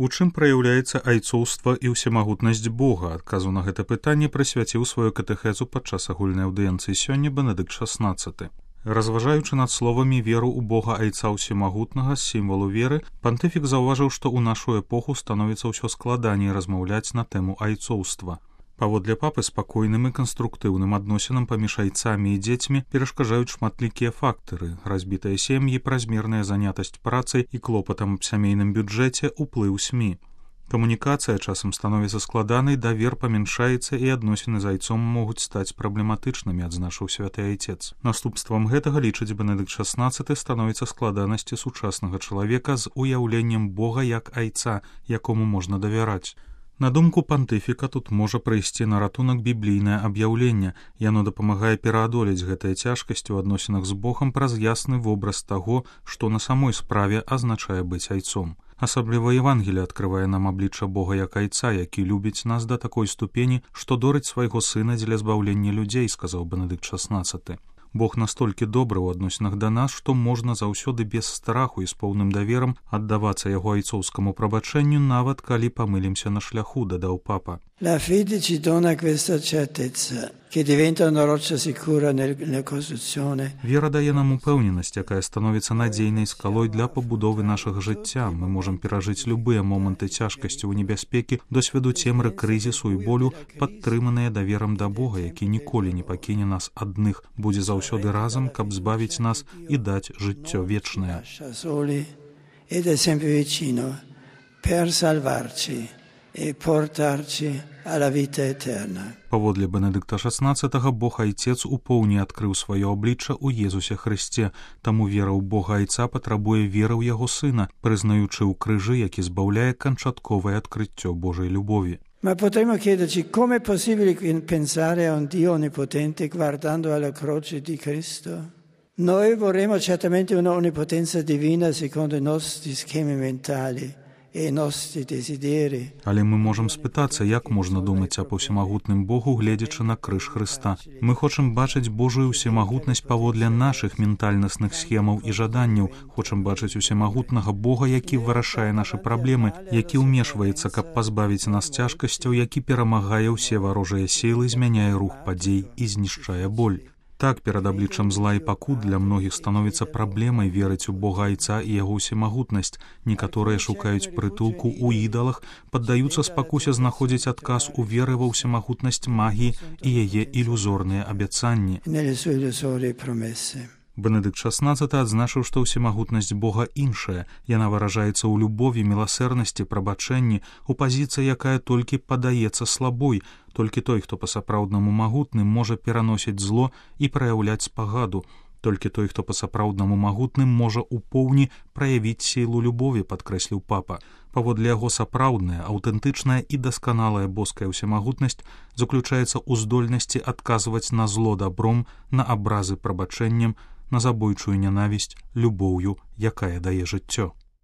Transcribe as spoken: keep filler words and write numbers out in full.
У чым праяўляецца айцоўства і ўсемагутнасць Бога? Адказу на гэта пытанне прысвяціў сваю катэхезу падчас агульнай аўдыенцыі сёння Бенедыкт шаснаццаты. Разважаючы над словамі веру ў Бога Айца Ўсемагутнага з сімвалу веры, пантыфік заўважыў, што ў нашу эпоху становіцца ўсё складаней размаўляць на тэму айцоўства. Паводле папы, спакойным і канструктыўным адносінам паміж айцамі і дзецьмі перашкаджаюць шматлікія фактары: разбітыя сем'і, празмерная занятасць працай і клопатам аб сямейным бюджэце, уплыў СМІ. Камунікацыя часам становіцца складанай, давер памяншаецца і адносіны з айцом могуць стаць праблематычнымі, адзначыў святы айцец. Наступствам гэтага, лічыць Бенедыкт шаснаццаты, становіцца складанасці сучаснага чалавека з уяўленнем Бога як айца, якому можна давяраць. На думку пантыфіка, тут можа прыйсці на ратунак біблійнае аб'яўленне. Яно дапамагае пераадолець гэтыя цяжкасці ў адносінах з Богам праз ясны вобраз таго, што на самой справе азначае быць айцом. Асабліва Евангелие адкрывае нам аблічча Бога як айца, які любіць нас да такой ступені, што дорыць свайго сына дзеля збаўлення людзей, сказаў Бенедыкт шаснаццаты. Бог настолькі добры ў адносінах да нас, што можна заўсёды без страху і з поўным даверам аддавацца яго айцоўскаму прабачэнню, нават калі памылімся на шляху, дадаў папа. La fede ci dona questa certezza, che diventa una roccia sicura nella costruzione. Вера дае нам упэўненасць, якая становіцца надзейнай скалой для пабудовы нашага жыцця. Мы можам перажыць любыя моманты цяжкасці ў небяспекі, досведу цемры, крызісу і болю, падтрыманыя даверам да Бога, які ніколі не пакіне нас адных, будзе заўсёды разам, каб збавіць нас і даць жыццё вечнае. Ed è sempre vicino per salvarci e portarci alla vita eterna. Паводле Бенедыкта шаснаццатага, Бог Айцец у поўні адкрыў сваё аблічча ў Езусе Хрысце, таму вера ў Бога Айца патрабуе веры ў яго Сына, прызнаючы ў крыжы, які збаўляе канчатковае адкрыццё Божай любові. Ma potremmo chiederci come è possibile pensare a un Dio onnipotente guardando alla croce di Cristo? Noi vorremmo certamente una onnipotenza divina secondo i nostri schemi mentali e i nostri desideri. Але мы можам спытацца, як можна думаць аб усемагутным Богу, гледзячы на крыж Хрыста. Мы хочам бачыць Божую усемагутнасць паводле нашых ментальнасных схемаў і жаданняў, хочам бачыць усемагутнага Бога, які вырашае нашы праблемы, які ўмешваецца, каб пазбавіць нас цяжкасцяў, які перамагае ўсе варожыя сілы, змяняе рух падзей і знішчае боль. Так, перад абліччам зла і пакут для многіх становіцца праблемай верыць у Бога Айца і яго ўсемагутнасць. Некаторыя шукаюць прытулку ў ідалах, паддаюцца спакусе знаходзіць адказ у веры ва ўсемагутнасць магіі і яе ілюзорныя абяцанні. Бенедыкт шаснаццаты адзначыў, што ўсемагутнасць Бога іншая. Яна выражаецца ў любові, міласэрнасці, прабачэнні, у пазіцыі, якая толькі падаецца слабой. Толькі той, хто па-сапраўднаму магутны, можа пераносіць зло і праяўляць спагаду. Толькі той, хто па-сапраўднаму магутны, можа ў поўні праявіць сілу любові, падкрэсліў папа. Паводле яго сапраўдная, аўтэнтычная і дасканалая боская ўсемагутнасць заключаецца ў здольнасці адказваць на зло дабром, на абразы прабачэннем, на забойчую нянавісць любоўю, якая дае жыццё.